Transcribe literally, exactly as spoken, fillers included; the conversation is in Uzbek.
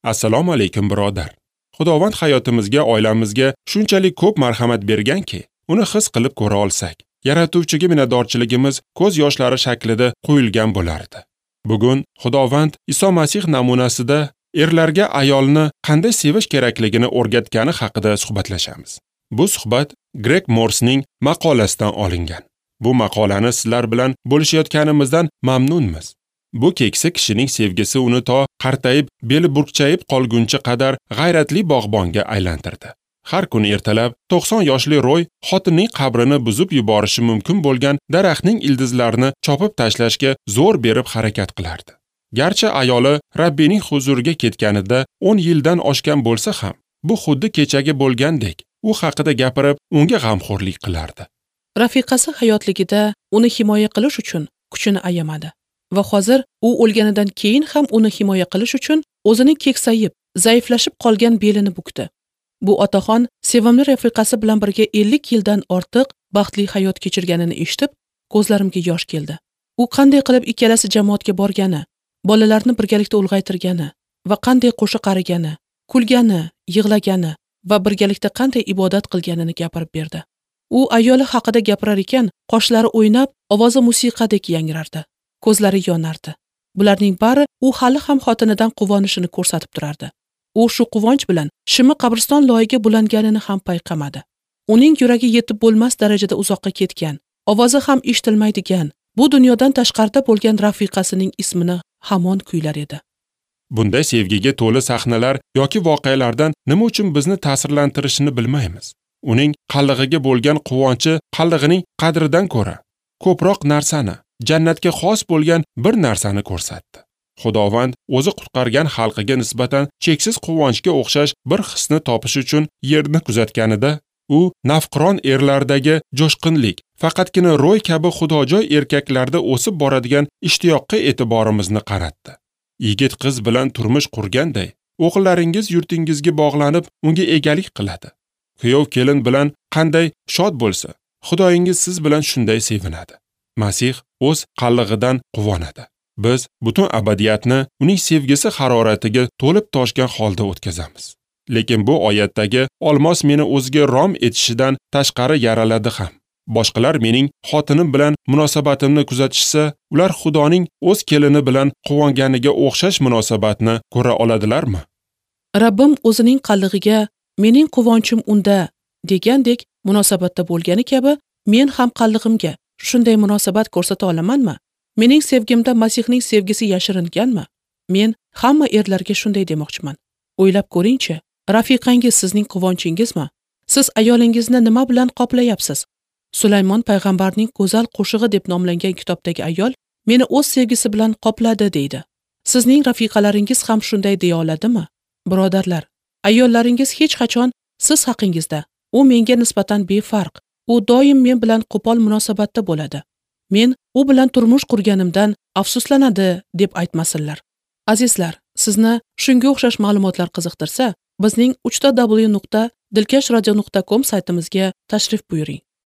Assalomu alaykum birodar. Xudovand hayotimizga, oilamizga shunchalik ko'p marhamat berganki, uni his qilib ko'ra olsak, Yaratuvchiga minnatdorchiligimiz ko'z yoshlari shaklida qo'yilgan bo'lardi. Bugun Xudovand Iso Masih namunasida erlarga ayolni qanday sevish kerakligini o'rgatgani haqida suhbatlashamiz. Bu suhbat Greg Morsning maqolasidan olingan. Bu maqolani sizlar bilan bo'lishayotganimizdan mamnunmiz. Bu keksa kishining sevgisi uni to qartayib, beli burkchayib qolguncha qadar g'ayratli bog'bonga aylantirdi. Har kuni ertalab to'qson yoshli Roy xotinning qabrini buzib yuborishi mumkin bo'lgan daraxtning ildizlarini chopib tashlashga zo'r berib harakat qilardi. Garchi ayoli Rabbining huzuriga ketganida o'n yildan oshgan bo'lsa ham, bu xuddi kechagi bo'lgandek, u haqida gapirib, unga g'amxo'rlik qilardi. Rafiqasi hayotligida uni himoya qilish uchun kuchini ayamadi va hozir u o'lganidan keyin ham uni himoya qilish uchun o'zining keksayib, zaiflashib qolgan belini bukdi. Bu otaxon sevimli rafiqasi bilan birga ellik yildan ortiq baxtli hayot kechirganini eshitib, ko'zlarimga yosh keldi. U qanday qilib ikkalasi jamoatga borgani, bolalarni birgalikda ulg'aytirgani va qanday qo'sha qarigani, kulgani, yig'lagani va birgalikda qanday ibodat qilganini gapirib berdi. U ayoli haqida gapirar ekan, qoshlari o'ynab, ovozi musiqadek yangrardi, ko'zlari yonardi. Bularning bari u hali ham xotinidan quvonishini ko'rsatib turardi. U shu quvonch bilan shimi qabriston loyiga bulanganini ham payqamadi. Uning yuragi yetib bo'lmas darajada uzoqqa ketgan, ovozi ham eshitilmaydigan, bu dunyodan tashqarida bo'lgan rafiqasining ismini hamon kuylar edi. Bunday sevgiga to'la sahnalar yoki voqealardan nima uchun bizni ta'sirlantirishini bilmaymiz. Uning qallig'iga bo'lgan quvonchi qallig'ining qadridan ko'ra ko'proq narsani, jannatga xos bo'lgan bir narsani ko'rsatdi. Xudovand o'zi qutqargan xalqiga nisbatan cheksiz quvonchga o'xshash bir hisni topish uchun yerni kuzatganida, u nafqiron erlardagi jo'shqinlik, faqatgina Roy kabi xudojoy erkaklarda o'sib boradigan ishtiyoqqa e'tiborimizni qaratdi. Yigit qiz bilan turmush qurganday, o'g'illaringiz yurtingizga bog'lanib, unga egalik qiladi. Kuyov kelin bilan qanday shod bo'lsa, Xudoyingiz siz bilan shunday sevinadi. Masih o'z qallig'idan quvonadi. Biz butun abadiyatni uning sevgisi haroratiga to'lib toshgan holda o'tkazamiz. Lekin bu oyatdagi olmos meni o'ziga rom etishidan tashqari yaraladi ham. Boshqalar mening xotinim bilan munosabatimni kuzatishsa, ular Xudoning o'z kelini bilan quvonganiga o'xshash munosabatni ko'ra oladilarmi? Rabbim o'zining qallig'iga mening quvonchim unda degandek munosabatda bo'lgani kabi, men ham qallig'imga shunday munosabat ko'rsata olamanmi? Mening sevgimda Masihning sevgisi yashiringanmi? Men hamma erlarga shunday demoqchiman. O'ylab ko'ringchi, rafiqangiz sizning quvonchingizmi? Siz ayolingizni nima bilan qoplayapsiz? Sulaymon payg'ambarning go'zal qo'shig'i deb nomlangan kitobdagi ayol meni o'z sevgisi bilan qopladi deydi. Sizning rafiqalaringiz ham shunday deya oladimi? Birodarlar, ayollaringiz hech qachon siz haqingizda, u menga nisbatan befarq, u doim men bilan qo'pol munosabatda bo'ladi. Men u bilan turmush qurganimdan afsuslanadi deb aytmasinlar. Azizlar, sizni shunga o'xshash ma'lumotlar qiziqtirsa, bizning uch ta w nuqta dilkash radio nuqta com saytimizga tashrif buyuring.